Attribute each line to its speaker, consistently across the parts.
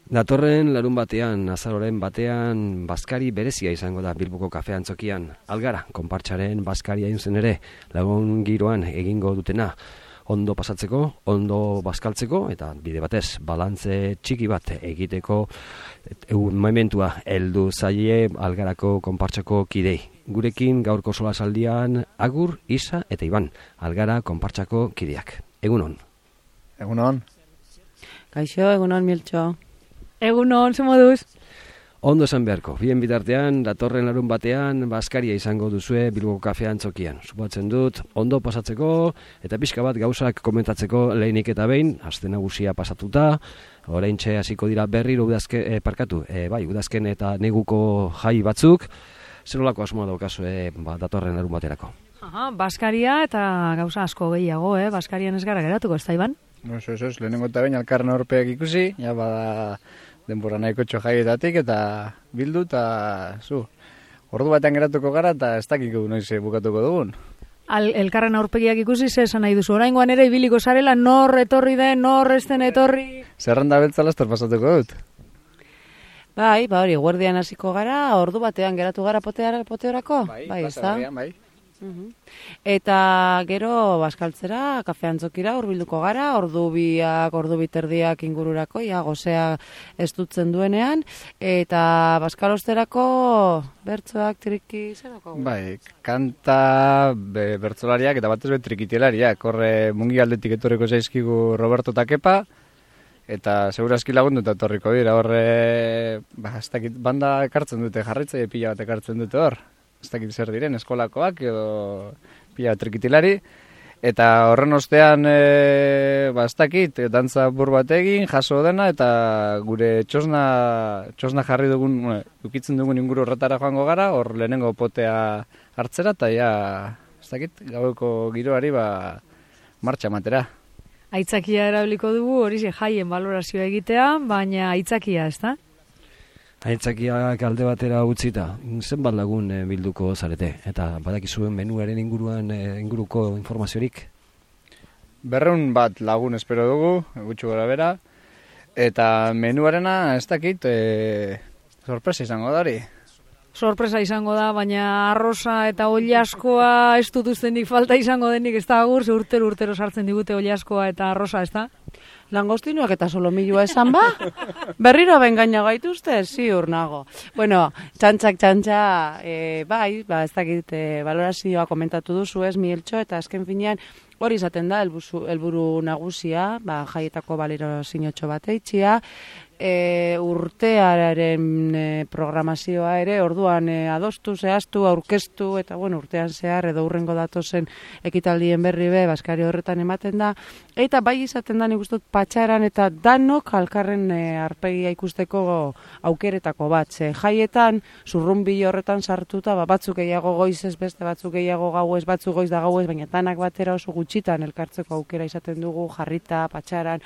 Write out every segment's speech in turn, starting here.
Speaker 1: Datorren larun batean, azaroren batean, bazkari berezia izango da Bilboko Kafe Antzokian. Algara, konpartsaren bazkari hain zen ere, lagun giroan egingo dutena. Ondo pasatzeko, ondo bazkaltzeko, eta bide batez, balantze txiki bat egiteko momentua heldu zaie Algarako konpartsako kidei. Gurekin gaurko solasaldian Agur, Isa eta Iban, Algara konpartsako kideak. Egunon.
Speaker 2: Egunon.
Speaker 3: Kaixo, egunon Miltxo.
Speaker 4: Egunon, ze moduz?
Speaker 1: Ondo esan beharko, bien bitartean, datorren larun batean, bazkaria izango duzue Bilboko Kafe Antzokian. Suposatzen dut, ondo pasatzeko, eta pixka bat gauzak komentatzeko lehenik eta behin, aste nagusia pasatuta, oraintxe hasiko dira berriro udazken eta neguko jai batzuk, zer nolako asmoa daukazu datorren larun baterako?
Speaker 4: Bazkaria eta gauza asko gehiago, bazkarian ez gara geratuko, ez da, Iban?
Speaker 2: Eso, lehenengo eta behin alkarren aurpeak ikusi, ja bada denbora nahiko txojaietatik eta bildu eta ordu batean geratuko gara eta ez dakiko noiz bukatuko dugun.
Speaker 4: Elkarren aurpegiak ikusi, ze esan nahi duzu, oraingoan ere ibiliko zarela, nor etorri den, nor ez den etorri?
Speaker 2: Zerrenda beltza laster pasatuko dut.
Speaker 3: Bai, hori, guardian hasiko gara, ordu batean geratu gara poteorako?
Speaker 2: Bai, ez da? Bai.
Speaker 3: Eta gero bazkaltzera, Kafe Antzokira hurbilduko gara, ordu biterdiak ingururako, gozea ez dutzen duenean, eta bazkalosterako bertsoak triki zerako?
Speaker 2: Bai, kanta bertsolariak eta batez trikitilariak, horre mungi aldetik etorriko zaizkigu Roberto Takepa, eta segurazki lagundu eta etorriko dira, horre banda ekartzen dute, jarraitzaile pila bat ekartzen dute hor. Ez dakit zer diren, eskolakoak edo pila trikitilari, eta horren ostean ez dakit, dantza bur bat egin, jaso dena, eta gure txosna jarri dugun, ukitzen dugun inguru horretara joango gara, hor lehenengo potea hartzera, eta ez dakit, gaueko giroari martxa matera.
Speaker 4: Aitzakia erabiliko dugu, hori jaien balorazioa egitea, baina aitzakia, ez da?
Speaker 1: Aitzakiak alde batera utzita, zenbat lagun bilduko zarete, eta badakizuen menuaren inguruko informaziorik?
Speaker 2: 200 bat lagun espero dugu, gutxu gora bera, eta menuarena ez dakit sorpresa izango da hori.
Speaker 4: Sorpresa izango da, baina arroza eta oliaskoa ez dut ustenik falta izango denik, ez da Agur, ze urtero sartzen digute oliaskoa eta arroza, ez da?
Speaker 3: Langostinuak eta solomilua esan ba? Berriro bengaina gaituzte? Ziur nago. Bueno, txantxa, bai, ez dakit, balorazioa komentatu duzu ez, Mieltxo, eta azken finean hori izaten da, helburu nagusia, jaietako balorazio bat eitxia, urtearen programazioa ere, orduan adostu, zehaztu, aurkeztu, eta urtean zehar edo urrengo datozen ekitaldien berri bazkari horretan ematen da, eta bai izaten da nik uste dut patxaran eta danok alkarren arpegia ikusteko aukeretako bat, jaietan zurrunbilo horretan sartuta, batzuk gehiago goizez beste, batzuk gehiago gauez, batzuk goiz da gauez, baina danak batera oso gutxitan elkartzeko aukera izaten dugu, jarrita, patxaran.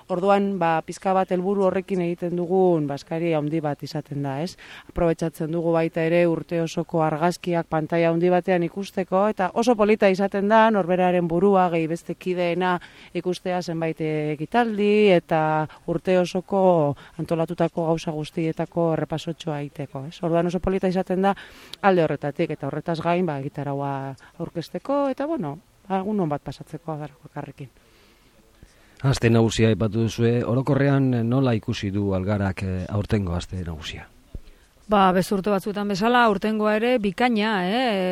Speaker 3: Orduan, pizka bat helburu horrekin egiten dugun bazkari handi bat izaten da, ez? Aprobetxatzen dugu baita ere urte osoko argazkiak pantaila handi batean ikusteko, eta oso polita izaten da, norberaren burua, gehi beste kideena ikustea zenbait ekitaldi, eta urte osoko antolatutako gauza guztietako errepasotxoa egiteko, ez? Orduan oso polita izaten da alde horretatik, eta horretaz gain, gitaraua aurkezteko, eta egun bat pasatzeko agarrekin.
Speaker 1: Aste nagusia aipatu duzue, orokorrean nola ikusi du Algarak aurtengo aste nagusia?
Speaker 4: Bezurte batzuetan bezala, aurtengoa ere bikaina,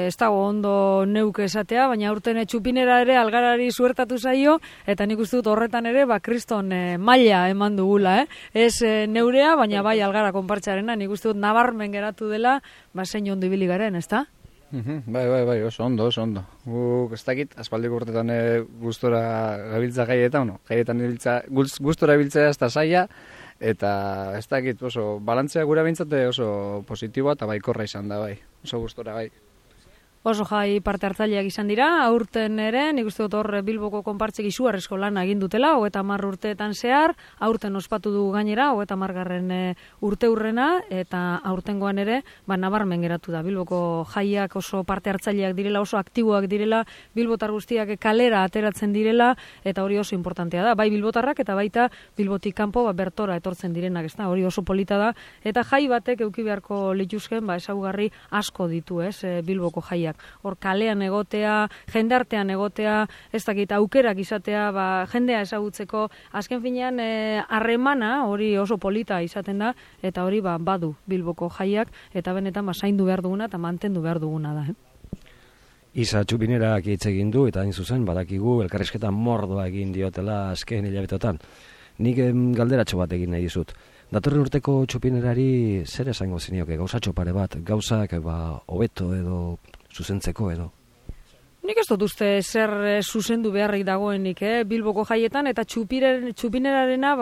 Speaker 4: ez dago ondo neuke esatea, baina aurten txupinera ere Algarari suertatu zaio, eta nik uste dut horretan ere, kriston maila eman dugula, Ez neurea, baina bai Algara konpartsarena, nik uste dut nabarmen geratu dela, zein ondo ibili garen, ez da?
Speaker 2: Bai, oso ondo. Guk ez dakit, aspaldiko urtetan gustora gabiltza jaietan, gustora biltzea ez da saia, eta ez dakit, oso balantzea gura bintzate oso positiboa eta baikorra izan da, bai, oso gustora, bai.
Speaker 4: Oso jai parte hartzaileak izan dira, aurten ere, nik uste dut hor Bilboko konpartzek izugarrizko lana egin dutela, 30 urteetan zehar, aurten ospatu du gainera, 30 urte hurrena, eta aurtengoan ere, nabarmen geratu da. Bilboko jaiak oso parte hartzaileak direla, oso aktiboak direla, bilbotar guztiak kalera ateratzen direla, eta hori oso importantea da. Bai bilbotarrak eta baita Bilbotik kanpo bertora etortzen direnak, ez da, hori oso polita da, eta jai batek eduki beharko lituzken, ezaugarri asko ditu, Bilboko jaiak. Hor kalean egotea, jendartean egotea, ez dakit aukerak izatea, jendea ezagutzeko, azken finean harremana hori oso polita izaten da, eta hori badu Bilboko jaiak, eta benetan zaindu behar duguna eta mantendu behar duguna da.
Speaker 1: Isa Txupinerak hitz egin du, eta hain zuzen, badakigu elkarrizketa mordoa egin diotela azken hilabetotan. Nik galderatxo bat egin nahi dizut. Datorren urteko Txupinerari zer esango zinioke, gauzatxo pare bat, gauzak hobeto edo zuzentzeko edo?
Speaker 4: Nik ez dut uste zer zuzendu beharrik dagoenik, Bilboko jaietan, eta Txupinerarena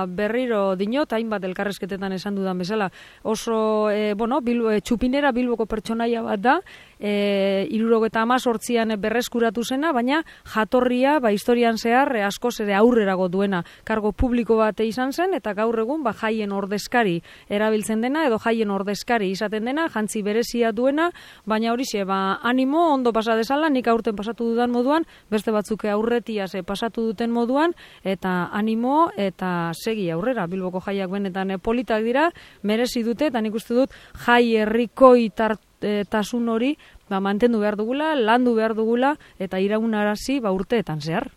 Speaker 4: berriro dinot, hainbat elkarrezketetan esan dudan bezala. Oso, Txupinera Bilboko pertsonaia bat da, 78an berreskuratu zena, baina jatorria historian zehar askoz ere aurrerago duena. Kargo publiko bat izan zen, eta gaur egun jaien ordezkari erabiltzen dena, edo jaien ordezkari izaten dena, jantzi berezia duena, baina horixe, animo, ondo pasa dezala, nik aurten pasatu dudan moduan, beste batzuk aurretiaz pasatu duten moduan, eta animo, eta segi aurrera. Bilboko jaiak benetan politak dira, merezi dute, eta nik uste dut jai herrikoi tasun hori mantendu behar dugula, landu behar dugula, eta iraunarazi urteetan zehar.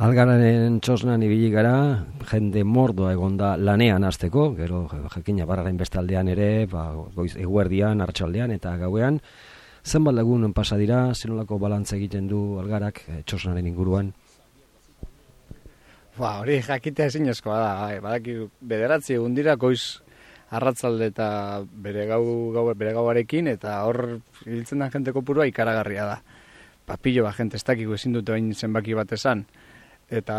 Speaker 1: Algararen txosnan ibili gara, jende mordoa egonda lanean hasteko, gero jakina barraren bestaldean ere, eguerdian, arratsaldean eta gauean. Zenbat lagun pasa dira, zenolako balantza egiten du Algarak txosnaren inguruan?
Speaker 2: Hori jakitea ezinezkoa da, badaki 9 egun dira goiz arratzalde eta bere gauarekin, eta hor hiltzen da jente kopurua ikaragarria da. Pilo bat jente ez dakiko ezin dute bain zenbaki bat esan. Eta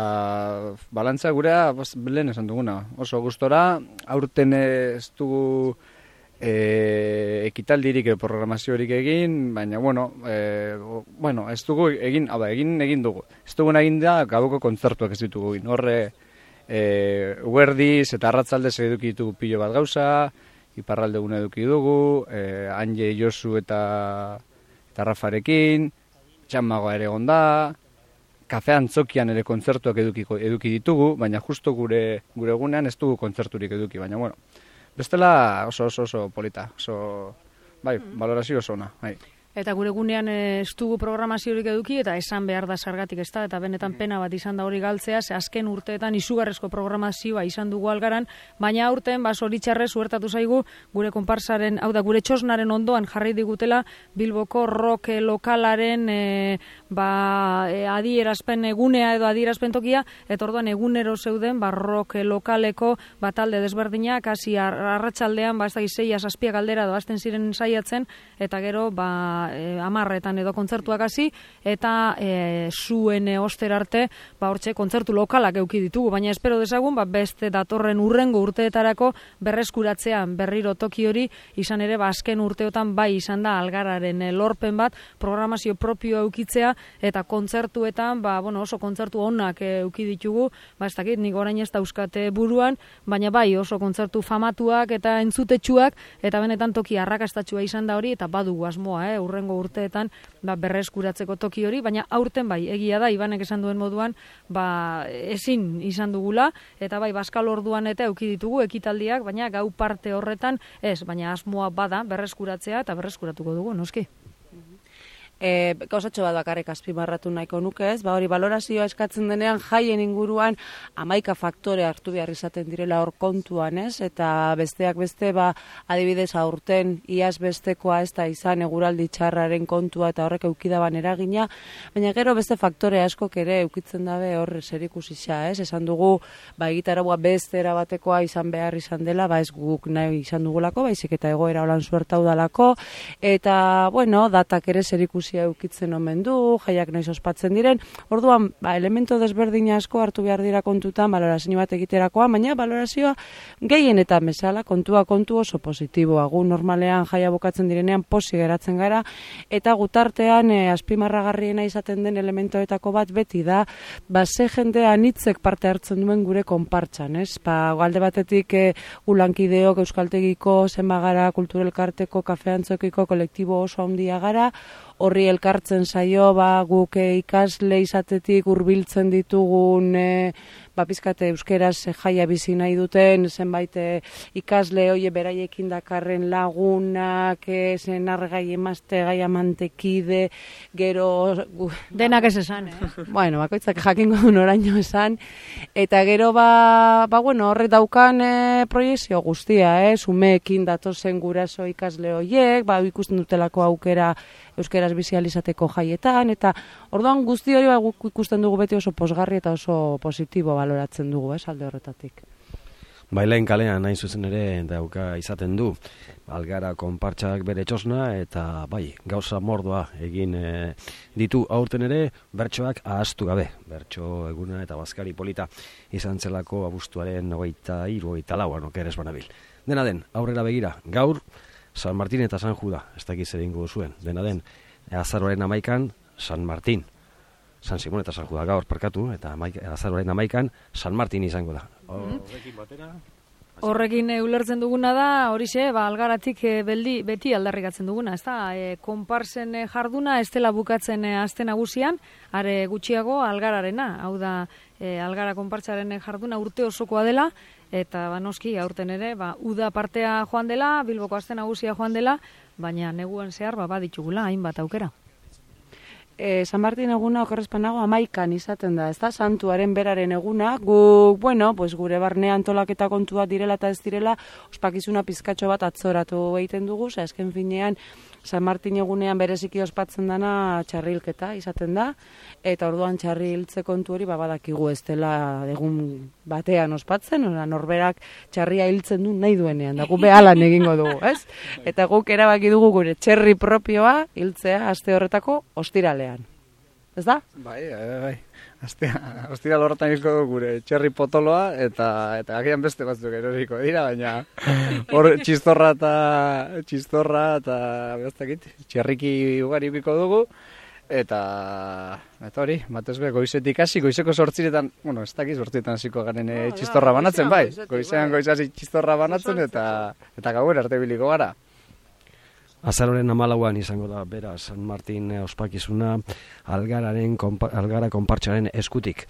Speaker 2: balantza gurea, lehen esan duguna, oso gustora, aurten ez dugu ekitaldirik edo programaziorik egin, baina, ez dugu egin dugu. Ez dugu egin da gauko kontzertuak ez ditugu egin. Horre, uerdiz eta arratzaldez eduki ditugu pilo bat gauza, iparralde gune eduki dugu, Anje Josu eta Rafarekin, txamagoa ere gonda, kafe antzokian ere kontzertuak eduki ditugu, baina justo gure egunean ez dugu kontzerturik eduki, baina bestela oso polita, valorazio oso ona.
Speaker 4: Eta gure gunean ez dugu programaziorik eduki, eta esan behar da sargatik ez da, eta benetan pena bat izan da hori galtzea, ze azken urteetan izugarrezko programazioa izan dugu Algaran, baina aurten zoritxarrez suertatu zaigu gure konparsaren, gure txosnaren ondoan jarri digutela Bilboko rock lokalaren adierazpen egunea edo adierazpen tokia, eta orduan egunero zeuden rock lokaleko talde desberdinak, hasi arratsaldean ez da 6-7 galdera doazten ziren saiatzen, eta gero 10etan edo kontzertuak hasi, eta zuen oster arte hortxe kontzertu lokalak eduki ditugu, baina espero dezagun beste datorren urrengo urteetarako berreskuratzean berriro toki hori izan ere azken urteotan izan da Algararen lorpen bat programazio propioa eukitzea, eta kontzertuetan oso kontzertu onak euki ditugu, ez dakit nik orain ez dauzkate buruan, baina oso kontzertu famatuak eta entzutetsuak, eta benetan toki arrakastatsua izan da hori, eta badugu asmoa urrengo urteetan berreskuratzeko toki hori, baina aurten egia da, Ibanek esan duen moduan, ezin izan dugula, eta Baskal orduan eta euki ditugu ekitaldiak, baina gau parte horretan ez, baina asmoa bada berreskuratzea, eta berreskuratuko dugu, noski.
Speaker 3: Gauzatxo bat bakarrik azpimarratu nahiko nuke ez, hori valorazioa eskatzen denean jaien inguruan 11 faktore hartu behar izaten direla hor kontuan ez, eta besteak beste adibidez aurten iaz bestekoa ez da izan eguraldi txarraren kontua eta horrek eukidaban eragina, baina gero beste faktore askok ere eukitzen dabe hor zerikusia ez, esan dugu egitaragua beste erabatekoa izan behar izan dela, ez guk nahi izan dugulako, baizik eta egoera holan suertau dalako, eta datak ere zerikusia balorazioa eukitzen omen du, jaiak noiz ospatzen diren, orduan, elemento desberdin asko hartu behar dira kontutan balorazio bat egiterakoa, baina balorazioa gehienetan bezala, kontua kontu oso positiboa, gu normalean jaia bukatzen direnean posi geratzen gara, eta gutartean azpimarragarriena izaten den elementoetako bat beti da, ze jendea anitzek parte hartzen duen gure konpartxan, ez? Alde batetik ulankideok, euskaltegiko, zenbagara, kulturelkarteko, kafeantzokiko, kolektibo oso handia gara, horri elkartzen zaio, guk ikasle izatetik hurbiltzen ditugun, pizkate euskeraz jaia bizi nahi duten, zenbait ikasle hoie beraiekin dakarren lagunak, zenargai emazte, gai amantekide, gero...
Speaker 4: Denak ez esan,
Speaker 3: Bueno, bakoitzak jakingo duen oraino esan, eta gero horre daukan proiezio guztia, umeekin datozen guraso ikasle hoiek, ikusten dutelako aukera euskeraz bizializateko jaietan, eta orduan guzti hori guk ikusten dugu beti oso posgarri eta oso positibo baloratzen dugu, alde horretatik.
Speaker 1: Bailain kalean nahi zuzen ere dauka izaten du, Algara konpartxak bere txosna, eta gauza mordoa egin ditu aurten ere, bertsoak ahaztu gabe, bertso eguna eta bazkari polita izan zelako abuztuaren 23-24 okeres banabil. Dena den, aurrera begira, gaur, San Martin eta San Juda, ez dakiz zer egingo duzuen. Dena den, azaroaren 11 San Martin, San Simon eta San Juda gaur parkatu, eta azaroaren 11 San Martin izango da. Horrekin batera...
Speaker 4: Horrekin ulertzen duguna da, horixe, Algaratik beti aldarrikatzen duguna, ez da, konparsen jarduna, ez dela bukatzen aste nagusian, are gutxiago Algararena, hau da, Algara konpartsaren jarduna urte osokoa dela, eta noski aurten ere, uda partea joan dela, Bilboko aste nagusia joan dela, baina neguan zehar baditugula hainbat aukera.
Speaker 3: San Martin eguna okerrezpanago 11 izaten da, ez da, santuaren beraren eguna, gure barne antolaketa kontua direla eta ez direla, ospakizuna pizkatxo bat atzoratu egiten dugu, esken finean, San Martin egunean bereziki ospatzen dana txarrilketa izaten da, eta orduan txarriltze kontu hori badakigu ez dela egun batean ospatzen, norberak txarria hiltzen du nahi duenean, da gu behalan egingo dugu, ez? Eta guk erabaki dugu gure txerri propioa hiltzea aste horretako ostiralean. Ez da?
Speaker 2: Bai. Ostiral horretan izko dugu gure txerri potoloa, eta agian beste batzuk eroriko dira, baina hor txistorra eta bestakit, txerriki ugari biko dugu, eta hori, batez be, goizetik hasi, goizeko 8:00, ez dakiz 8:00 hasiko garen txistorra banatzen, bai, goizean hasi txistorra banatzen, eta gauera arte biliko gara.
Speaker 1: Azaroren 14 izango da, bera, San Martin ospakizuna Algara konpartxaren eskutik.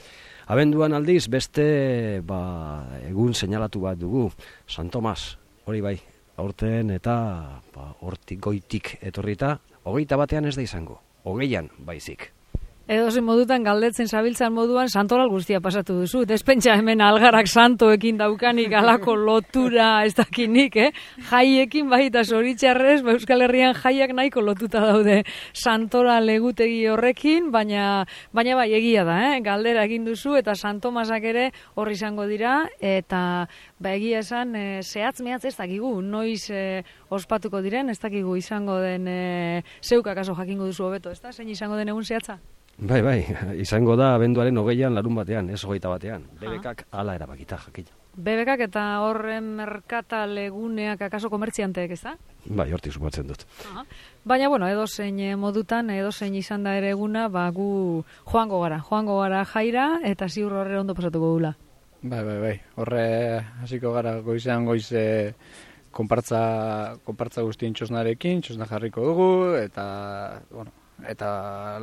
Speaker 1: Abenduan aldiz, beste egun seinalatu bat dugu, San Tomas, hori bai, aurten eta hortik goitik etorrita, 21 ez da izango, 20 baizik.
Speaker 4: Edozein modutan galdetzen zabiltzan moduan santoral guztia pasatu duzu. Despentsa hemen Algarak santoekin daukanik alako lotura ez dakinik, jaiekin eta zoritxarrez, Euskal Herrian jaiak nahiko lotuta daude santoral egutegi horrekin, baina bai egia da, galdera egin duzu eta San Tomasak ere horri izango dira, eta egia esan zehatz-mehatz ez dakigu, noiz ospatuko diren, ez dakigu izango den zeuk akaso jakingo duzu hobeto, ez da? Zein izango den egun zehatza?
Speaker 1: Bai, izango da abenduaren 20 larun batean, ez 21. BBKak hala erabakita jakina.
Speaker 4: BBKak eta horren merkatal eguneak akaso komertzianteek, ez da?
Speaker 1: Bai, hortik supatzen dut.
Speaker 4: Baina, edozein modutan, edozein izan da ere eguna, gu joango gara jaira, eta ziur horre ondo pasatuko gula.
Speaker 2: Bai, horre hasiko gara goizean goize konpartza guztien txosnarekin, txosna jarriko dugu, eta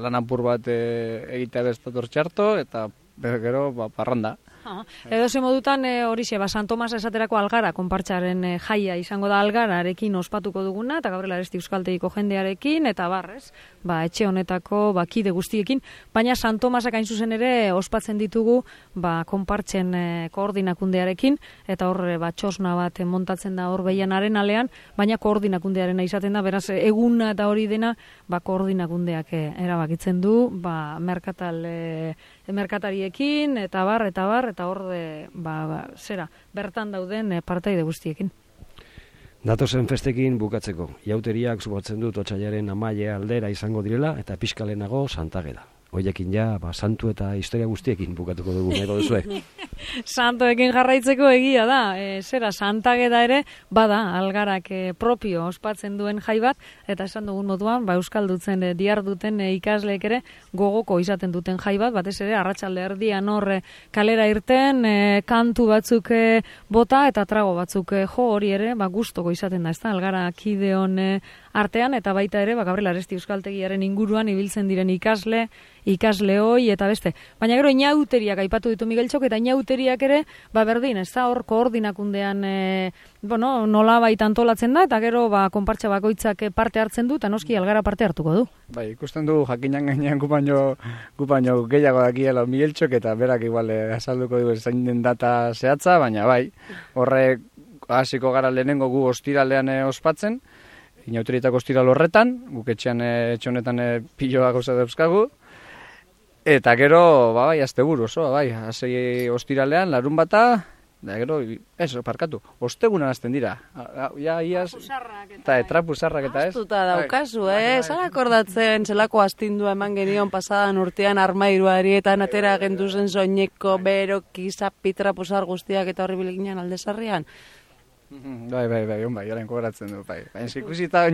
Speaker 2: lan apur bat egitea bestator txarto, eta gero parranda.
Speaker 4: Edozein modutan horixe, San Tomas esaterako Algara konpartsaren jaia izango da Algararekin ospatuko duguna, eta Gabriel Aresti euskaltegiko jendearekin, eta barrez, etxe honetako kide guztiekin, baina San Tomasak hain zuzen ere ospatzen ditugu konpartzen koordinakundearekin, eta hor txosna bat montatzen da hor behian arenalean, baina koordinakundearena izaten da, beraz eguna eta hori dena koordinakundeak erabakitzen du, merkatariekin, eta hor bertan dauden partaide guztiekin.
Speaker 1: Datozen festekin bukatzeko, jauteriak subatzen dut otsailaren 11 aldera izango direla eta pixkalenago Santageda. Hoiekin santu eta historia guztiekin bukatuko dugu, nahi duzue.
Speaker 4: Santoekin jarraitzeko egia da, zera Santageda ere, bada, algarak propio ospatzen duen jai bat, eta esan dugun moduan, euskaldutzen diharduten ikasleek ere gogoko izaten duten jai bat, batez ere, arratsalde erdian hor kalera irten, kantu batzuk bota eta trago batzuk jo, hori ere, gustoko izaten da, ez da, algara kideon artean, eta baita ere, Gabriel Aresti euskaltegiaren inguruan ibiltzen diren ikasle hoi eta beste. Baina gero inauteriak aipatu ditu Migueltxok, eta inauteriak ere, berdin, ez da, hor koordinakundean nola baita antolatzen da, eta gero konpartxa bakoitzak parte hartzen du, eta noski algara parte hartuko du.
Speaker 2: Bai, ikusten du jakinan gainean gu baino gehiago dakiela Migueltxok, eta berak igual azalduko du zain den data zehatza, baina bai, horre hasiko gara lehenengo gu ostiralean ospatzen, inauterietako ostiral horretan, guk etxean etxonetan piloa gauza dauzkagu, eta gero, bai, asteburu oso, bai, hasi ostiralean, larun bata, da gero, parkatu, ostegunan hasten dira, iaz, eta trapuzarrak eta ez.
Speaker 3: Astuta daukazu, zara akordatzen zelako astindua eman genion pasadan urtean armairuari eta atera genduzen soineko, beroki, zapi, trapuzar guztiak eta horri bileginan aldezarrian.
Speaker 2: Bai, jaren kobratzen du, bai. Baina ikusita,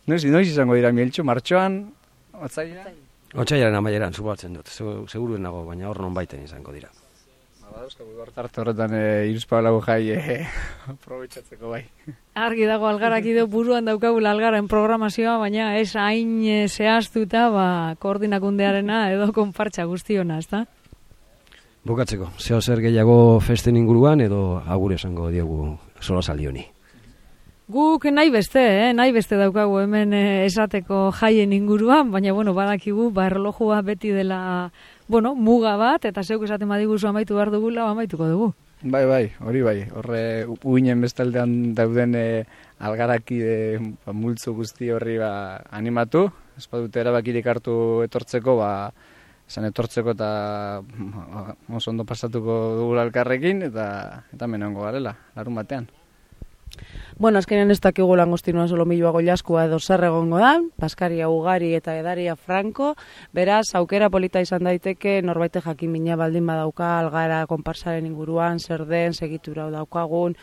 Speaker 2: noiz izango dira Migueltxo, martxoan, otzailean?
Speaker 1: Otsailaren amaieran, subatzen dut, seguruen nago, baina hor non baiten izango dira.
Speaker 2: Dauzkagu gortarte horretan iruzpagalago jai aprobetxatzeko bai.
Speaker 4: Argi dago algarak ideo buruan daukagula algaren programazioa, baina ez hain zehaztuta koordinakundearena edo konpartxa guztiona, ez da?
Speaker 1: Bukatzeko, zeo zer gehiago festen inguruan edo agur esango diogu solasaldi honi.
Speaker 4: Guk nahi beste daukagu hemen esateko jaien inguruan, baina badakigu erlojua beti dela muga bat, eta zeuk esaten badiguzu amaitu behar dugula, amaituko dugu.
Speaker 2: Bai, hori bai, horre uinen bestaldean dauden algarakide multzo guzti horri animatu, ez badute erabakirik hartu etortzeko, esan etortzeko eta oso ondo pasatuko dugu elkarrekin eta menongo garela, larun batean.
Speaker 3: Azkenean ez dakigu langostinoan solomilloa goiaskua edo zer egongo da, Baskaria ugari eta edaria franko, beraz, aukera polita izan daiteke, norbaite jakimina baldin badauka, algara konparsaren inguruan, zer den, segitura daukagun,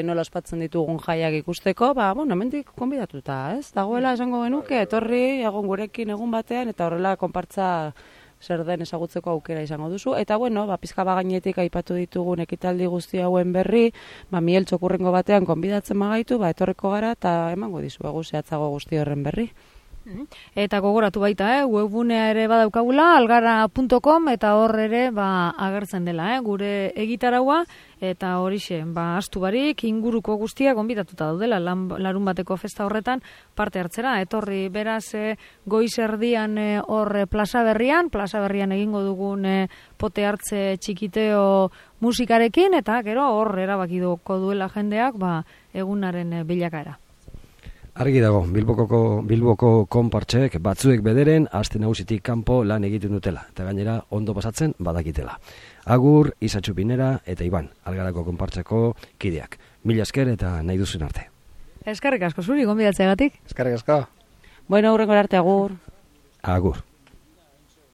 Speaker 3: nola ospatzen ditugun jaiak ikusteko, hemendik konbidatuta, ez? Dagoela esango genuke, etorri, egon gurekin egun batean, eta horrela konpartza zer den ezagutzeko aukera izango duzu. Eta pizka bagainetik aipatu ditugun ekitaldi guzti hauen berri, Migueltxok hurrengo batean konbidatzen magaitu, etorriko gara eta emango dizuegu zehatzago guzti horren berri.
Speaker 4: Eta gogoratu baita, webgunea ere badaukagula, algara.com, eta hor ere agertzen dela, gure egitaraua, eta horixe, astu barik, inguruko guztiak gonbidatuta daudela, larun bateko festa horretan parte hartzera, etorri beraz goiz erdian hor plaza berrian egingo dugun pote hartze txikiteo musikarekin, eta gero hor erabakidoko duela jendeak egunaren bilakaera.
Speaker 1: Argi dago, Bilboko konpartxek batzuek bederen aste nagusitik kanpo lan egiten dutela, eta gainera ondo pasatzen badakitela. Agur, Isatxu Pinera eta Iban, algarako konpartxeko kideak. Mila esker eta nahi duzen arte.
Speaker 4: Eskerrik asko zuri, gonbidatzeagatik.
Speaker 2: Eskerrik asko.
Speaker 3: Hurrengo arte, agur.
Speaker 1: Agur.